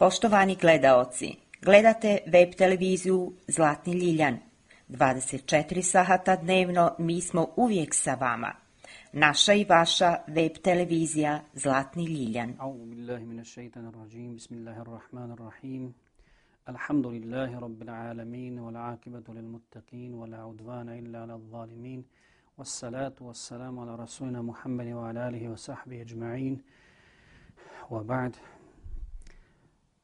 Poštovani gledaoci, gledate web televiziju Zlatni Ljiljan. 24 sata dnevno mi smo uvijek sa vama. Naša i vaša web televizija Zlatni Ljiljan. A'udhu billahi minash shaitanir rajim. Bismillahirrahmanirrahim. Alhamdulillahi rabbil alamin wal aqibatu lil muttaqin wala udwana illa alal zalimin. Wassalatu wassalamu ala rasulina Muhammadin wa ala alihi wa sahbihi ajma'in. Wa ba'd.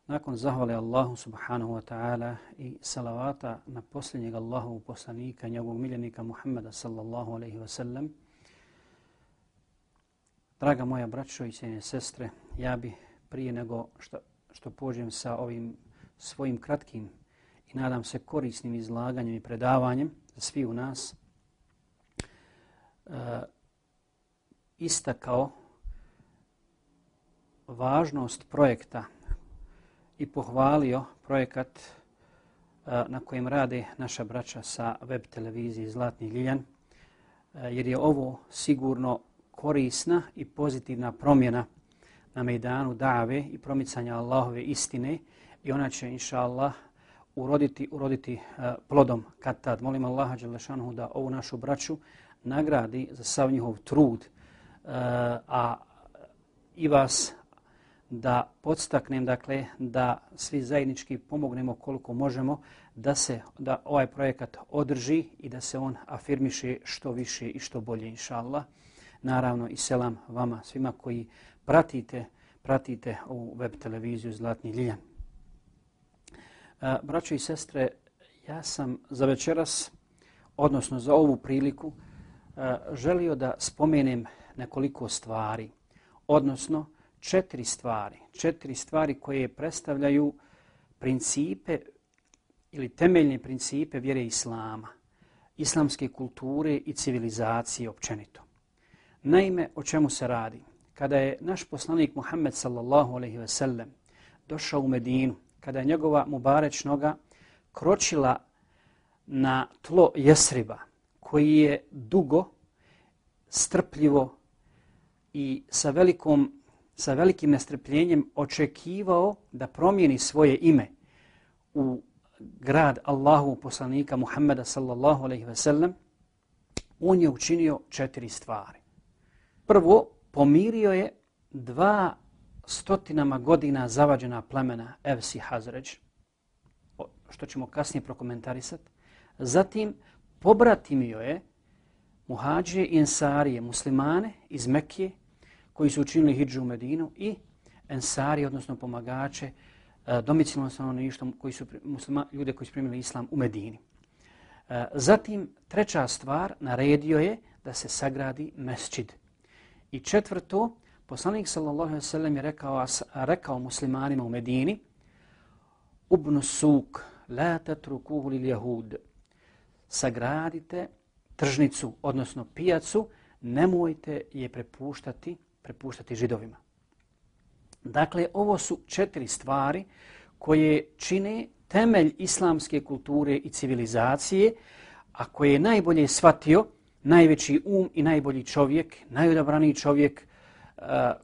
Nakon zahvale Allahu subhanahu wa ta'ala i salavata na posljednjeg Allahovog poslanika, njegovog miljenika Muhammada sallallahu alaihi wa sallam, draga moja braćo i cijene sestre, ja bi prije nego što pođem sa ovim svojim kratkim i nadam se korisnim izlaganjem i predavanjem za svi u nas, istakao važnost projekta i pohvalio projekat na kojem rade naša braća sa web televizije Zlatni Ljiljan, jer je ovo sigurno korisna i pozitivna promjena na mejdanu dave i promicanja Allahove istine i ona će, inša Allah, uroditi plodom kad tad. Molim Allaha dželešanuhu da ovu našu braću nagradi za sav njihov trud, a i vas da podstaknem, dakle, da svi zajednički pomognemo koliko možemo da ovaj projekat održi i da se on afirmiše što više i što bolje, inša Allah. Naravno i selam vama svima koji pratite ovu web televiziju Zlatni Ljiljan. Braćo i sestre, ja sam za večeras, odnosno za ovu priliku, želio da spomenem nekoliko stvari, odnosno četiri stvari koje predstavljaju principe ili temeljne principe vjere Islama, islamske kulture i civilizacije općenito. Naime, o čemu se radi? Kada je naš poslanik Muhammed sallallahu alejhi ve sellem došao u Medinu, kada je njegova mubareć noga kročila na tlo Jesriba, koji je dugo, strpljivo i sa velikim nestrpljenjem očekivao da promijeni svoje ime u grad Allahu poslanika Muhammeda sallallahu alejhi ve sellem, on je učinio 4 stvari. Prvo, pomirio je 200 godina zavađena plemena Evs i Hazređ, što ćemo kasnije prokomentarisati. Zatim, pobratimio je muhađije i ensarije, muslimane iz Mekije, koji su učinili hidžu u Medinu, i ensarije, odnosno pomagače, domicilno stanovništvo, ljude koji su primili islam u Medini. Zatim, treća stvar, naredio je da se sagradi mesdžid. I četvrto, poslanik sallallahu alejhi ve sellem je rekao muslimanima u Medini: Ubnu suk, la tatrukuhu lil jahud. Sagradite tržnicu, odnosno pijacu, nemojte je prepuštati židovima. Dakle, ovo su 4 stvari koje čine temelj islamske kulture i civilizacije, a koje je najbolje shvatio najveći i najbolji čovjek, najodabraniji čovjek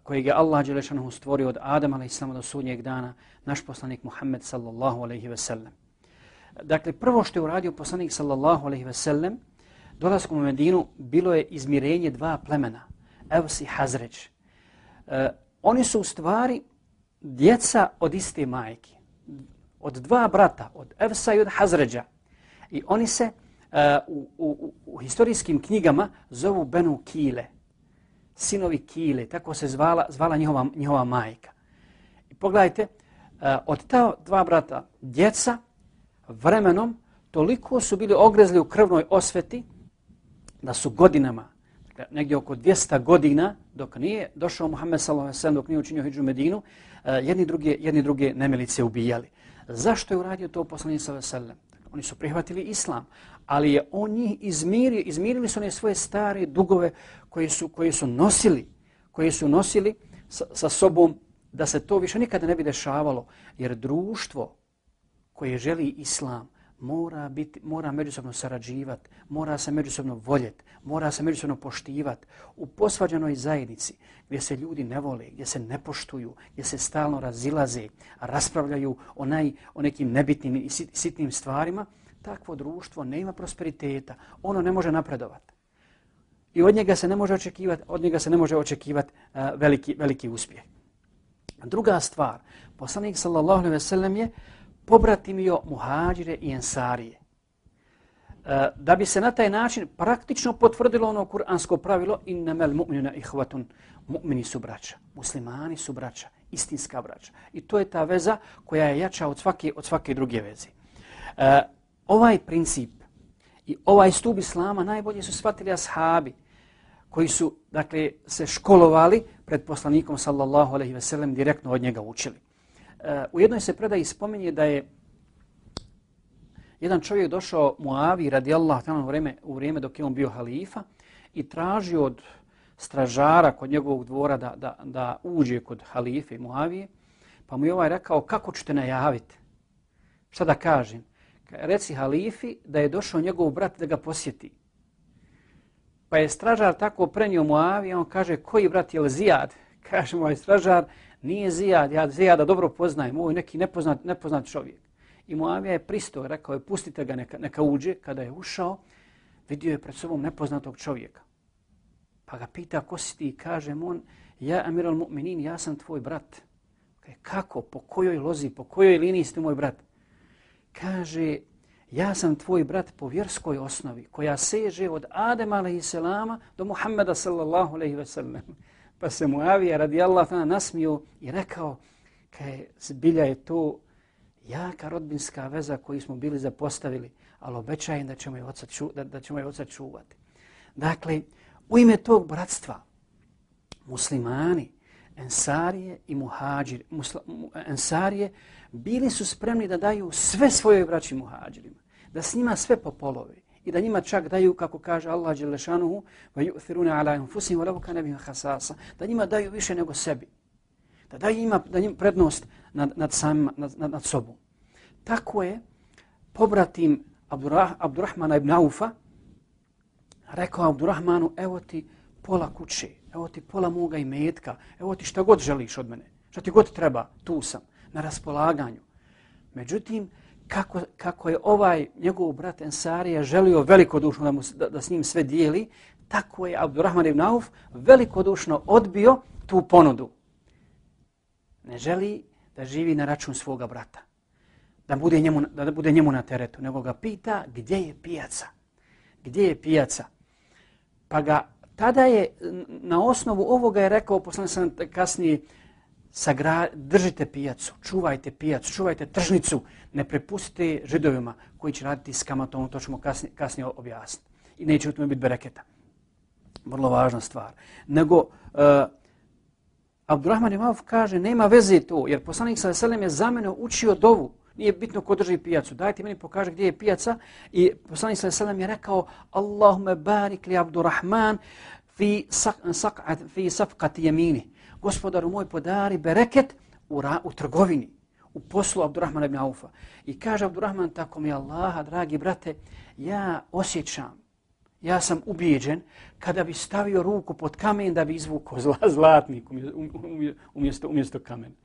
kojeg je Allah dželešanuhu stvorio od Adama alejhiselama do sudnjeg dana, naš poslanik Muhammed sallallahu alejhi ve sellem. Dakle, prvo što je uradio poslanik sallallahu alejhi ve sellem dolaskom u Medinu bilo je izmirenje 2 plemena, Evs i Hazređ. Oni su u stvari djeca od iste majke, od 2 brata, od Evsa i od Hazređa. I oni se u historijskim knjigama zovu Benu Kile, sinovi Kile, tako se zvala njihova majka. I pogledajte, od ta 2 brata djeca vremenom toliko su bili ogrezli u krvnoj osveti da su godinama, negdje oko 200 godina, dok nije došao Muhammed sallallahu alejhi ve sellem, dok nije učinio hidžu u Medinu, jedni druge nemilice ubijali. Zašto je uradio to poslanik sallallahu alejhi ve sellem? Oni su prihvatili islam, ali je on njih izmirili su one svoje stare dugove koje su nosili sa sobom, da se to više nikada ne bi dešavalo, jer društvo koje želi islam mora međusobno sarađivati, mora se međusobno voljeti, mora se međusobno poštivati. U posvađanoj zajednici gdje se ljudi ne vole, gdje se ne poštuju, gdje se stalno razilaze, raspravljaju o nekim nebitnim i sitnim stvarima, takvo društvo nema prosperiteta, ono ne može napredovati. I od njega se ne može očekivati veliki uspjeh. Druga stvar, poslanik sallallahu alejhi ve sellem je pobratimio muhađire i ensarije. Da bi se na taj način praktično potvrdilo ono kuransko pravilo innamal mu'minuna ihvatun, mu'mini su braća, muslimani su braća, istinska braća. I to je ta veza koja je jača od svake druge veze. Ovaj princip i ovaj stup islama najbolje su shvatili ashabi koji su se školovali pred poslanikom sallallahu alejhi ve sellem, direktno od njega učili. U jednoj se predaji spominje da je jedan čovjek došao Muaviji radijallahu ta'ala u vrijeme dok je on bio halifa i tražio od stražara kod njegovog dvora da uđe kod halife Muavije, pa mu je ovaj rekao kako ću te najaviti? Šta da kažem? Reci halifi da je došao njegov brat da ga posjeti. Pa je stražar tako prenio Muavije, on kaže koji brat je li Zijad? Kaže moj stražar, nije Zijad, ja Zijada dobro poznajem, ovo je neki nepoznat čovjek. I Muavija je pristao, rekao je pustite ga neka uđe. Kada je ušao, vidio je pred sobom nepoznatog čovjeka. Pa ga pita ko si ti? Kaže on, ja Amir al-Mu'minin, ja sam tvoj brat. Kaže, kako? Po kojoj lozi, po kojoj liniji ste moj brat? Kaže, ja sam tvoj brat po vjerskoj osnovi koja seže od Adema a.s. do Muhammeda sallallahu alejhi ve sellem. Pa se Muavija radijallahu ta'ala nasmio i rekao, zbilja je to jaka rodbinska veza koju smo bili zapostavili, ali obećajem da ćemo je oca čuvati. Dakle, u ime tog bratstva muslimani, ensarije i muhađiri, ensarije bili su spremni da daju sve svojoj braći muhađirima, da s njima sve popolovi i da njima čak daju, kako kaže Allah dželle šanuhu, wa yu'thiruna ala anfusihim wa law kana bihim khasasa, da njima daju više nego sebi, da daju njima prednost nad sobom. Tako je pobratim Abdurrahmana ibn Aufa rekao Abdurrahmanu, evo ti pola kuće, evo ti pola moga imetka, evo ti šta god želiš od mene, šta ti god treba, tu sam, na raspolaganju. Međutim, kako je ovaj njegov brat Ensarija želio velikodušno da s njim sve dijeli, tako je Abdurrahman ibn Auf velikodušno odbio tu ponudu. Ne želi da živi na račun svoga brata, da bude njemu na teretu, nego ga pita gdje je pijaca. Gdje je pijaca? Pa ga tada je na osnovu ovoga je rekao, poslanik sam kasnije, držite pijacu, čuvajte tržnicu, ne prepustite Židovima koji će raditi s kamatom, to ćemo kasnije objasniti. I neće u tome biti bereketa. Vrlo važna stvar. Nego, Abdurrahman ibn Auf kaže, nema veze to, jer poslanik sallallahu alejhi ve sellem je za mene učio dovu. Nije bitno ko drži pijacu. Dajte meni pokaže gdje je pijaca. I poslanik sallallahu alejhi ve sellem je rekao, Allahumme barik li Abdurrahman fi safqati yamini. Gospodaru moj, podari bereket u trgovini, u poslu Abdurrahmana ibn Aufa. I kaže Abdurrahman, tako mi Allaha, dragi brate, ja osjećam, ja sam ubijeđen kada bi stavio ruku pod kamen da bi izvukao zlatnik umjesto kamena.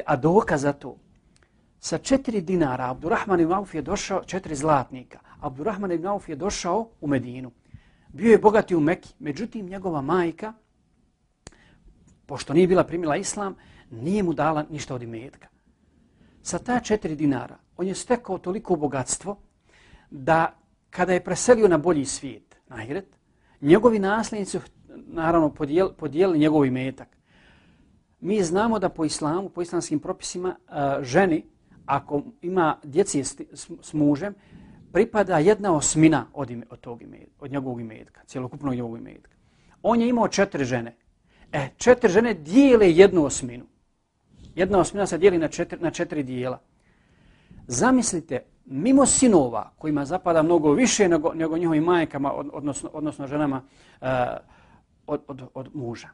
A dokaz za to, sa 4 dinara Abdurrahman ibn Auf je došao, 4 zlatnika, Abdurrahman ibn Auf je došao u Medinu. Bio je bogati u Meki, međutim njegova majka, pošto nije bila primila islam, nije mu dala ništa od imetka. Sa ta 4 dinara on je stekao toliko bogatstvo da kada je preselio na bolji svijet, na ahiret, njegovi nasljednici naravno podijelili njegov imetak. Mi znamo da po islamu, po islamskim propisima, ženi, ako ima djeci s mužem, pripada 1/8 od njegovog imetka, cjelokupnog njegovog imetka. On je imao 4 žene. 4 žene dijele 1/8. 1/8 se dijeli na 4 dijela. Zamislite, mimo sinova, kojima zapada mnogo više nego njihovim majkama, odnosno ženama od muža.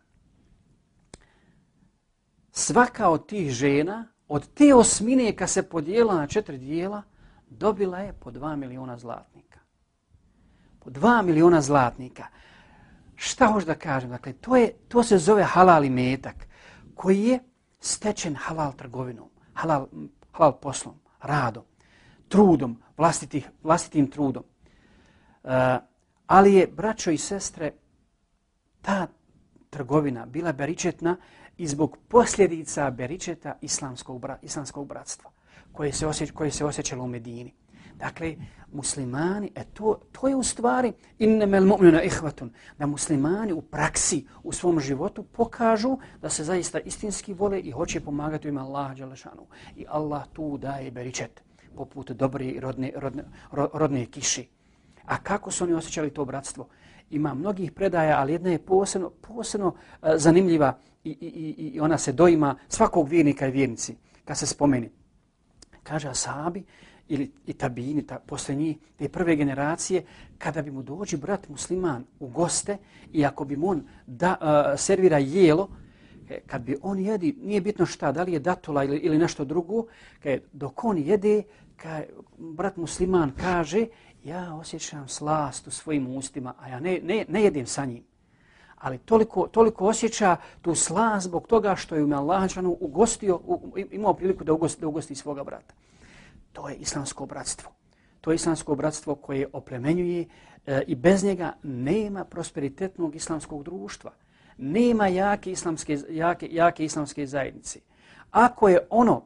Svaka od tih žena od te osmine kad se podijela na 4 dijela, dobila je po 2 miliona zlatnika. Po 2 miliona zlatnika. Šta hoću da kažem? Dakle, to se zove halal imetak, koji je stečen halal trgovinom, halal poslom, radom, trudom, vlastitim trudom. Ali je, braćo i sestre, ta trgovina bila beričetna i zbog posljedica beričeta islamskog bratstva koje se osjećalo u Medini. Dakle, muslimani, to je u stvari innemel mu'minuna ihvatun, da muslimani u praksi, u svom životu pokažu da se zaista istinski vole i hoće pomagati u ime Allaha dželle šanuhu. I Allah tu daje beričet poput dobre i rodne kiši. A kako su oni osjećali to bratstvo? Ima mnogih predaja, ali jedna je posebno zanimljiva i ona se doima svakog vjernika i vjernici kad se spomeni. Kaže ashabi i tabini, posle njih, te prve generacije, kada bi mu dođi brat musliman u goste i ako bi mu on servira jelo, kad bi on jedi, nije bitno šta, da li je datula ili nešto drugo, dok on jede, brat musliman kaže, ja osjećam slast u svojim ustima, a ja ne jedem sa njim. Ali toliko osjeća tu slast zbog toga što je Allah ugostio, imao priliku da ugosti svoga brata. To je islamsko bratstvo. To je islamsko bratstvo koje oplemenjuje i bez njega nema prosperitetnog islamskog društva. Nema jake islamske zajednice. Ako je ono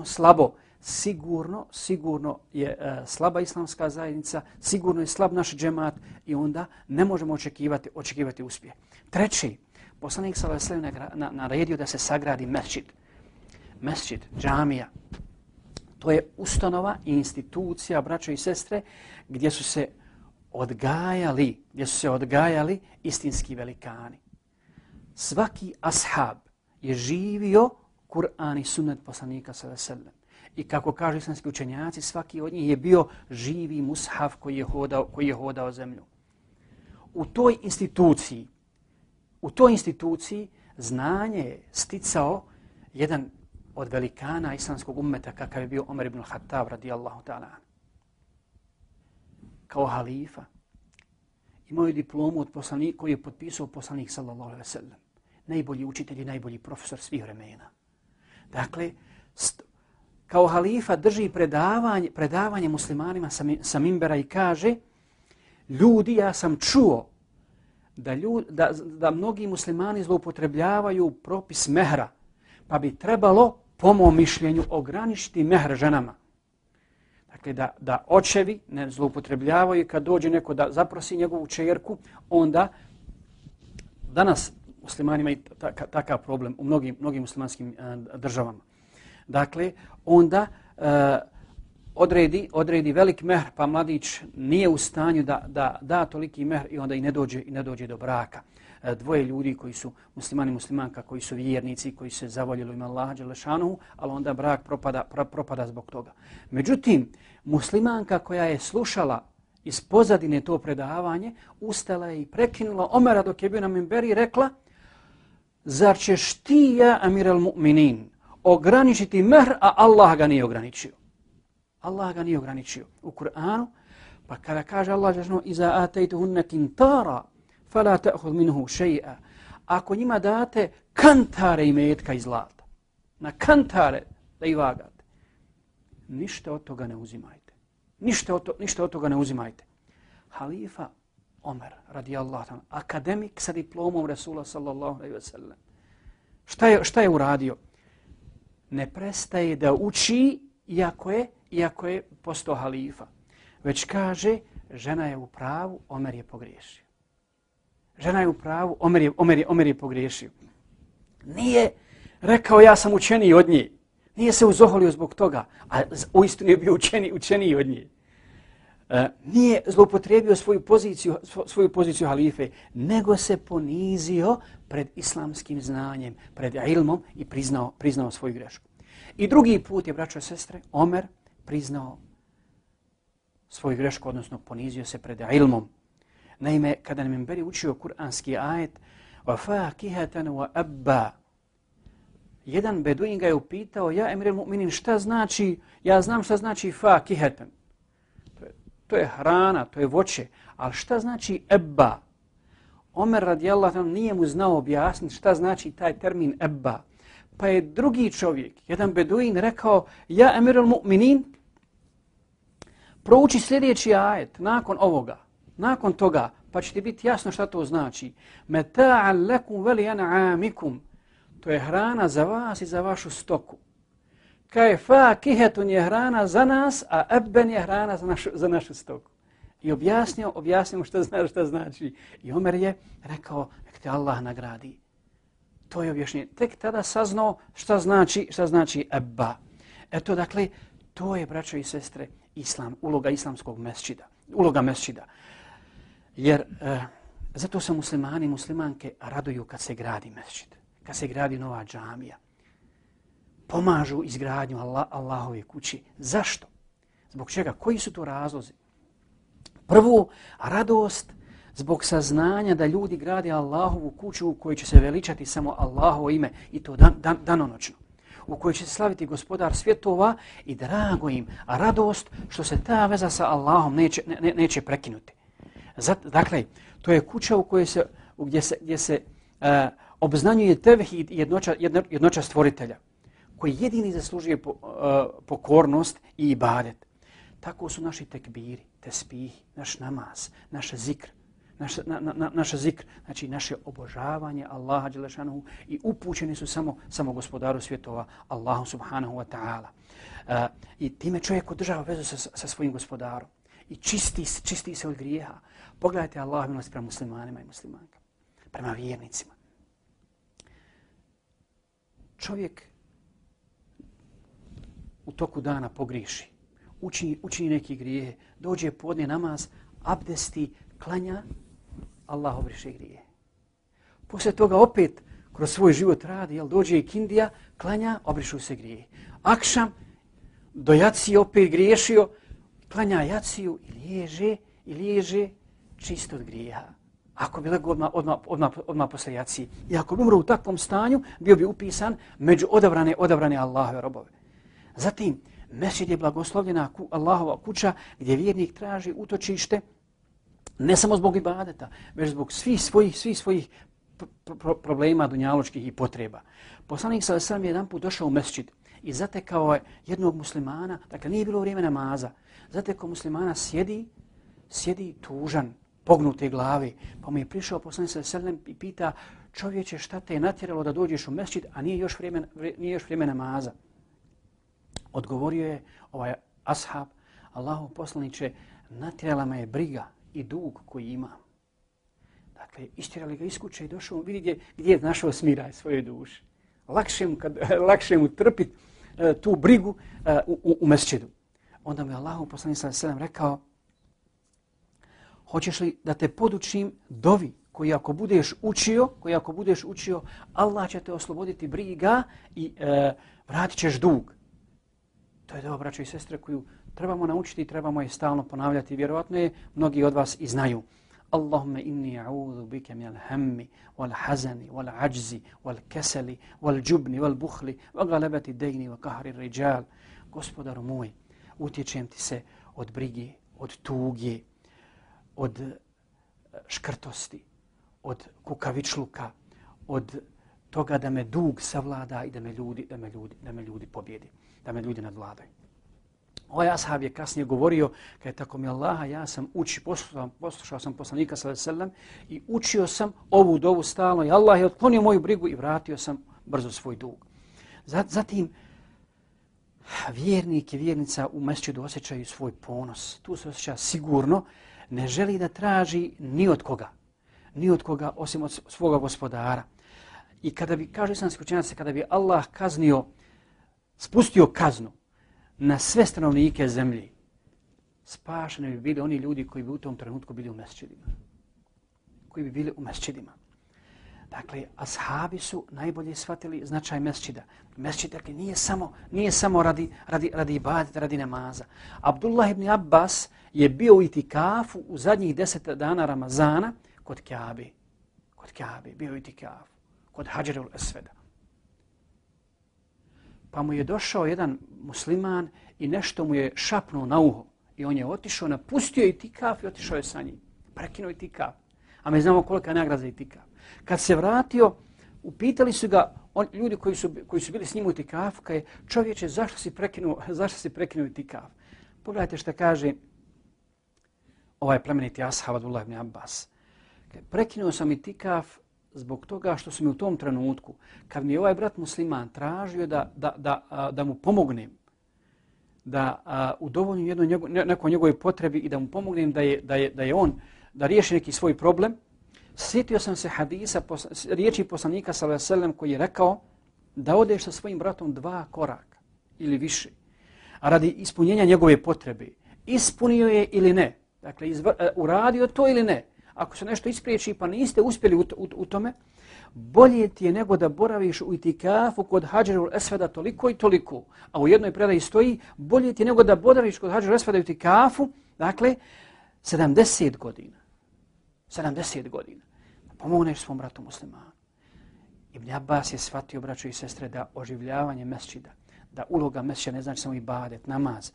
slabo, sigurno je slaba islamska zajednica, sigurno je slab naš džemat i onda ne možemo očekivati uspjeh. Treći, poslanik sallallahu alejhi ve sellem naredio da se sagradi mesdžid, džamija. To je ustanova i institucija, braćo i sestre, gdje su se odgajali istinski velikani. Svaki ashab je živio Kur'an i sunnet poslanika sallallahu alejhi ve sellem. I kako kažu islamski učenjaci, svaki od njih je bio živi mushaf koji je hodao zemlju. U toj instituciji znanje je sticao jedan od velikana islamskog ummeta kakav je bio Omer ibn Khattab radijallahu ta'ala. Kao halifa imao je diplomu od poslanika koji je potpisao poslanik sallallahu alejhi ve sellem. Najbolji učitelj i najbolji profesor svih vremena. Dakle, kao halifa drži predavanje muslimanima sa minbera i kaže, ljudi, ja sam čuo da mnogi muslimani zloupotrebljavaju propis mehra, pa bi trebalo, po mom mišljenju, ograničiti mehr ženama. Dakle, da očevi ne zloupotrebljavaju kad dođe neko da zaprosi njegovu čerku, onda danas muslimani imaju takav problem u mnogim muslimanskim državama. Dakle, onda odredi velik mehr, pa mladić nije u stanju da toliki mehr i onda i ne dođe do braka. Dvoje ljudi koji su muslimani i muslimanka, koji su vjernici, koji se zavoljeli ime Allaha dželle šanuhu, ali onda brak propada zbog toga. Međutim, muslimanka koja je slušala iz pozadine to predavanje, ustala je i prekinula Omera dok je bio na minberi i rekla, zar ćeš ti, ja amir al-mu'minin, ograničiti mehr, a Allah ga nije ograničio. Allah ga nije ograničio u Kur'anu, pa kada kaže Allah dželle iza ataytuhunna qintara fala ta'khudh minhu shay'a. Ako njima date kantare imetka i zlata, na kantare da ih vagate, ništa od toga ne uzimajte. Ništa od toga ne uzimajte. Halifa Omer radijallahu anhu, akademik sa diplomom Resula sallallahu alejhi ve sellem. Šta je uradio? Ne prestaje da uči iako je postao halifa. Već kaže, žena je u pravu, Omer je pogriješio. Žena je u pravu, Omer je pogriješio. Nije rekao ja sam učeniji od nje. Nije se uzoholio zbog toga, a uistinu je bio učeniji od nje. Nije zloupotrijebio svoju poziciju halife, nego se ponizio pred islamskim znanjem, pred ilmom i priznao svoju grešku. I drugi put je, braćo i sestre, Omer priznao svoju grešku, odnosno ponizio se pred ilmom. Naime, kada nam minberi učio kuranski ajet وَفَاكِهَةً وَأَبَّا jedan beduin ga je upitao, ja Emir al-Mu'minin, šta znači, ja znam šta znači fakiheten. To je hrana, to je voće, ali šta znači ebba? Omer radijallahu anhu nije mu znao objasniti šta znači taj termin ebba. Pa je drugi čovjek, jedan beduin, rekao, ja Emir al-Mu'minin, prouči sljedeći ajet nakon ovoga, nakon toga, pa će ti biti jasno šta to znači. Meta'an lakum wa li'an'amikum. To je hrana za vas i za vašu stoku. Kaj fakihetun je hrana za nas, a ebben je hrana za našu stoku. I objasnio šta znači. I Omer je rekao, nek te Allah nagradi. To je objašnjenje. Tek tada saznao šta znači ebba. Eto, dakle, to je, braćo i sestre, islam, uloga islamskog mesdžida, uloga mesdžida. Jer zato se muslimani i muslimanke raduju kad se gradi mesdžid, kad se gradi nova džamija. Pomažu izgradnju Allahove kući. Zašto? Zbog čega? Koji su to razlozi? Prvo, radost zbog saznanja da ljudi grade Allahovu kuću u kojoj će se veličati samo Allahovo ime i to danonoćno. U kojoj će se slaviti gospodar svjetova i drago im, a radost što se ta veza sa Allahom neće prekinuti. Dakle, to je kuća u kojoj gdje se obznanjuje tevhid i jednoća stvoritelja, koji jedini zaslužuje pokornost i ibadet. Tako su naši tekbiri, tesbih, naš namaz, naš zikr, znači naše obožavanje Allaha dželle šanehu i upućeni su samo gospodaru svjetova, Allahu subhanahu wa ta'ala. I time čovjek održava vezu sa svojim gospodarom i čisti se od grijeha. Pogledajte Allahov milost prema muslimanima i muslimankama, prema vjernicima. Čovjek u toku dana pogriješi, učini neki grijehe, dođe podne namaz, abdesti, klanja, Allah obriše grije. Poslije toga opet kroz svoj život radi, dođe i kindija, klanja, obrišu se grije. Akšam, do jacije opet griješio, klanja jaciju i liježe čisto od grijeha. Ako bi legao odmah posle jacije. I ako bi umro u takvom stanju, bio bi upisan među odabrane Allahove robove. Zatim, mesdžid je blagoslovljena Allahova kuća gdje vjernik traži utočište ne samo zbog ibadeta, već zbog svih svojih problema dunjaločkih i potreba. Poslanik sallallahu alejhi ve sellem je jedanput došao u mesdžid i zatekao je jednog muslimana, dakle nije bilo vrijeme namaza, zatekao muslimana sjedi tužan, pognute glave, pa mu je prišao poslanik sallallahu alejhi ve sellem i pita, čovječe, šta te je natjeralo da dođeš u mesdžid, a nije još vrijeme namaza? Odgovorio je ovaj ashab, Allahov poslaniče, natjerala me je briga i dug koji ima. Dakle, istjerali ga iz kuće i došao, vidi gdje je našao smiraj svoje duše. Lakše mu trpiti tu brigu u mesdžidu. Onda mu je Allahov poslanik sallallahu alejhi ve sellem rekao, hoćeš li da te podučim dovi koji ako budeš učio, Allah će te osloboditi briga i vratit ćeš dug. To je dova, braćo i sestre, koju trebamo naučiti i trebamo je stalno ponavljati. Vjerovatno je mnogi od vas i znaju. Allahumma inni a'udhu bika min al-hammi wal-hazani wal-'ajzi wal-kasali wal-jubni wal-bukhli wa ghalabati ad-dayni wa qahri ar-rijal. Gospodaru moj, utječem ti se od brige, od tuge, od škrtosti, od kukavičluka, od toga da me dug savlada i da me ljudi pobjedi, da me ljudi nadvladaju. Ovaj ashab je kasnije govorio, kada je tako mi Allaha, ja sam poslušao sam poslanika sallallahu alejhi ve sellem i učio sam ovu dovu stalno i Allah je otklonio moju brigu i vratio sam brzo svoj dug. Zatim, vjernik i vjernica u mesdžidu osjećaju svoj ponos. Tu se osjeća sigurno, ne želi da traži ni od koga osim od svoga gospodara. I kada bi, kažu islamski učenjaci, kada bi Allah spustio kaznu na sve stanovnike zemlje, spašeni bi bili oni ljudi koji bi u tom trenutku bili u mesdžidima. Dakle, ashabi su najbolje shvatili značaj mesdžida. Mesdžid, dakle, nije samo radi ibadeta, radi namaza. Abdullah ibn Abbas je bio u itikafu u zadnjih 10 dana Ramazana kod Kjabe. Bio u itikafu, kod Hadžerul Esveda. pa mu je došao jedan musliman i nešto mu je šapnuo na uho. I on je otišao, napustio itikaf i otišao je sa njim. Prekinuo itikaf. A mi znamo kolika je nagrada za itikaf. Kad se vratio, upitali su ga ljudi koji su bili s njim u itikafu, kaže, čovječe, zašto si prekinuo itikaf? Pogledajte što kaže ovaj plemeniti ashab Abdullah ibn Abbas. Prekinuo sam itikaf zbog toga što su mi u tom trenutku, kad mi je ovaj brat musliman tražio da mu pomognem, da udovoljim nekoj njegovoj potrebi i da mu pomognem da riješi neki svoj problem, sjetio sam se hadisa, riječi poslanika sallallahu alejhi ve sellem koji je rekao da odeš sa svojim bratom 2 koraka ili više, a radi ispunjenja njegove potrebe. Ispunio je ili ne? Dakle, uradio to ili ne? Ako se nešto ispriječi pa niste uspjeli u tome, bolje ti je nego da boraviš u itikafu kod Hadžerul Esveda toliko i toliko. A u jednoj predaji stoji, bolje ti je nego da boraviš kod Hadžerul Esveda u itikafu, dakle, 70 godina. 70 godina. Pomogneš svom bratu muslimanu. Ibn Abbas je shvatio, braćo i sestre, da oživljavanje mesdžida, da uloga mesdžida ne znači samo ibadet, namaz,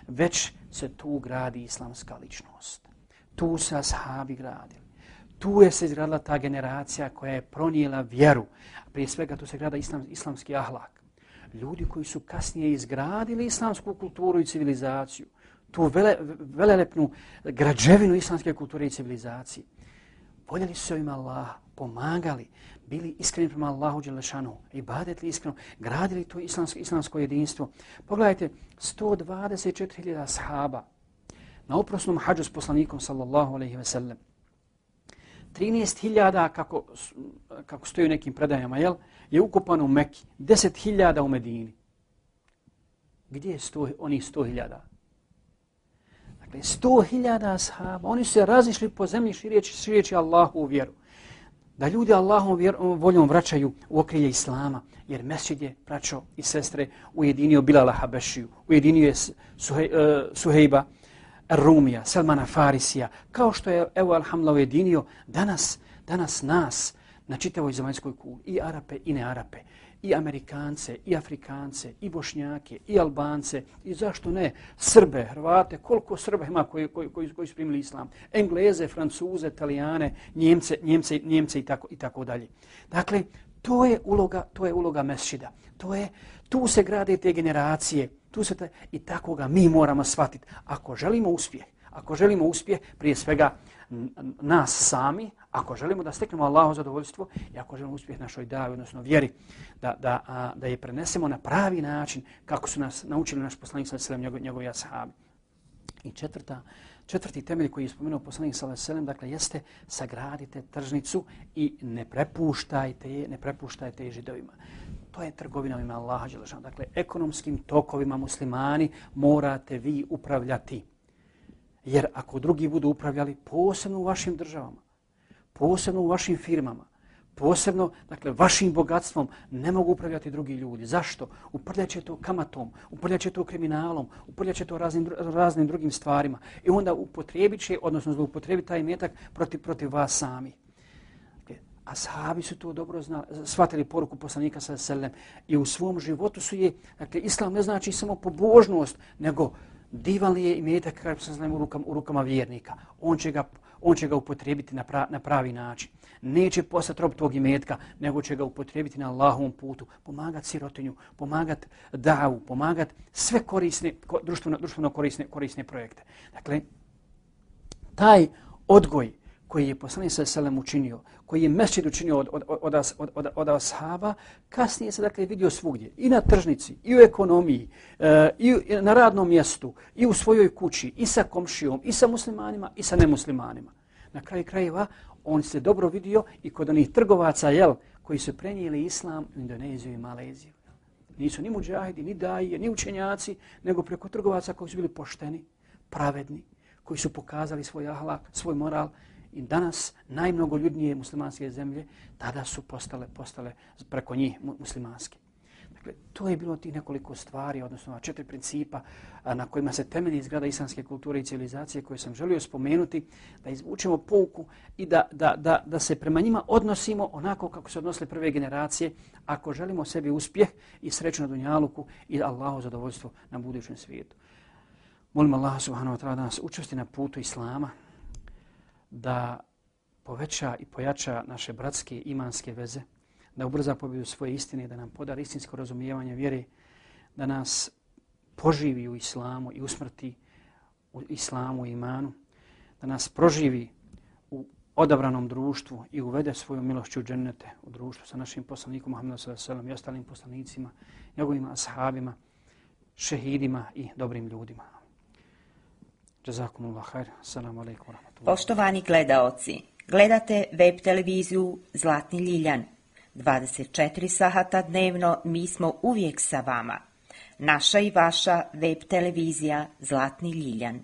već se tu gradi islamska ličnost. Tu se ashabi gradili. Tu je se izgradila ta generacija koja je pronijela vjeru. Prije svega tu se grada islamski ahlak. Ljudi koji su kasnije izgradili islamsku kulturu i civilizaciju, tu velelepnu građevinu islamske kulture i civilizacije. Voljeli su se ima Allaha, pomagali, bili iskreni prema Allahu dželešanu, ibadetli iskreno, gradili to islamsko jedinstvo. Pogledajte, 124.000 ashaba na oprosnom hadžu s poslanikom sallallahu alejhi ve sellem. 13.000 kako stoji u nekim predajama, je ukopano u Mekki, 10.000 u Medini. Gdje je onih 100.000? Dakle, 100.000 ashaba, oni su se razišli po zemlji šireći Allahu vjeru. Da ljudi Allahom voljom vraćaju u okrilje Islama, jer mesdžid je, braćo i sestre, ujedinio Bilala Habešiju, ujedinio je Suhejba Rumija, Salmana Farisija, kao što je, evo, alhamdulillah, ujedinio danas nas na čitavoj zemaljskoj kugli, i Arape i ne Arape, i Amerikance, i Afrikance, i Bošnjake, i Albance, i zašto ne, Srbe, Hrvate, koliko Srba ima koji su primili islam, Engleze, Francuze, Italijane, Njemce i tako dalje. Dakle, to je uloga mesdžida. Tu se grade te generacije, i tako ga mi moramo shvatiti. Ako želimo uspjeh, prije svega nas sami, ako želimo da steknemo Allahovo zadovoljstvo i ako želimo uspjeh našoj davi, odnosno vjeri, da je prenesemo na pravi način kako su nas naučili naš poslanik sallallahu alejhi ve sellem, njegovi ashabi. I četvrti temelj koji je spomenuo poslanik sallallahu alejhi ve sellem, dakle, jeste sagradite tržnicu i ne prepuštajte je Židovima. To je trgovina ima Allaha dželešanu. Dakle, ekonomskim tokovima muslimani morate vi upravljati. Jer ako drugi budu upravljali, posebno u vašim državama, posebno u vašim firmama, posebno, dakle, vašim bogatstvom, ne mogu upravljati drugi ljudi. Zašto? Uprljaće to kamatom, uprljaće to kriminalom, uprljaće to raznim drugim stvarima. I onda upotrijebit će, odnosno zloupotrijebit taj imetak protiv vas sami. Ashabi su to dobro shvatili poruku poslanika sallallahu alejhi ve sellem i u svom životu su je, dakle, islam ne znači samo pobožnost, nego divan je imetak kako se znamo u rukama vjernika. On će ga upotrijebiti na pravi način. Neće postati rob tog imetka, nego će ga upotrijebiti na Allahovom putu, pomagati sirotinju, pomagati davu, pomagati sve korisne, društveno korisne projekte. Dakle, taj odgoj koji je poslanik sallallahu alejhi ve sellem učinio, koji je mesdžid učinio od ashaba, kasnije se, dakle, vidio svugdje. I na tržnici, i u ekonomiji, i na radnom mjestu, i u svojoj kući, i sa komšijom, i sa muslimanima, i sa nemuslimanima. Na kraju krajeva, on se dobro vidio i kod onih trgovaca, koji su prenijeli islam u Indoneziju i Maleziju. Nisu ni mudžahidi, ni daije, ni učenjaci, nego preko trgovaca koji su bili pošteni, pravedni, koji su pokazali svoj ahlak, svoj moral. I danas najmnogoljudnije muslimanske zemlje tada su postale preko njih muslimanske. Dakle, to je bilo tih nekoliko stvari, odnosno 4 principa na kojima se temelji izgrada islamske kulture i civilizacije koje sam želio spomenuti, da izvučemo pouku i da se prema njima odnosimo onako kako se odnosile prve generacije, ako želimo sebi uspjeh i sreću na dunjaluku i Allahu zadovoljstvo na budućem svijetu. Molim Allah subhanahu wa ta'ala da nas učvrsti na putu Islama, da poveća i pojača naše bratske imanske veze, da ubrza pobjedu svoje istine, da nam podari istinsko razumijevanje vjere, da nas poživi u Islamu i usmrti u Islamu i imanu, da nas proživi u odabranom društvu i uvede svoju milošću u džennete, u društvu sa našim poslanikom Muhammedom sallallahu alejhi ve sellem i ostalim poslanicima, njegovim ashabima, šehidima i dobrim ljudima. Jazakumullah khair. Assalamu alejkum wa rahmatullahi. Poštovani gledaoci, gledate web televiziju Zlatni Ljiljan. 24 sahata dnevno mi smo uvijek sa vama. Naša i vaša web televizija Zlatni Ljiljan.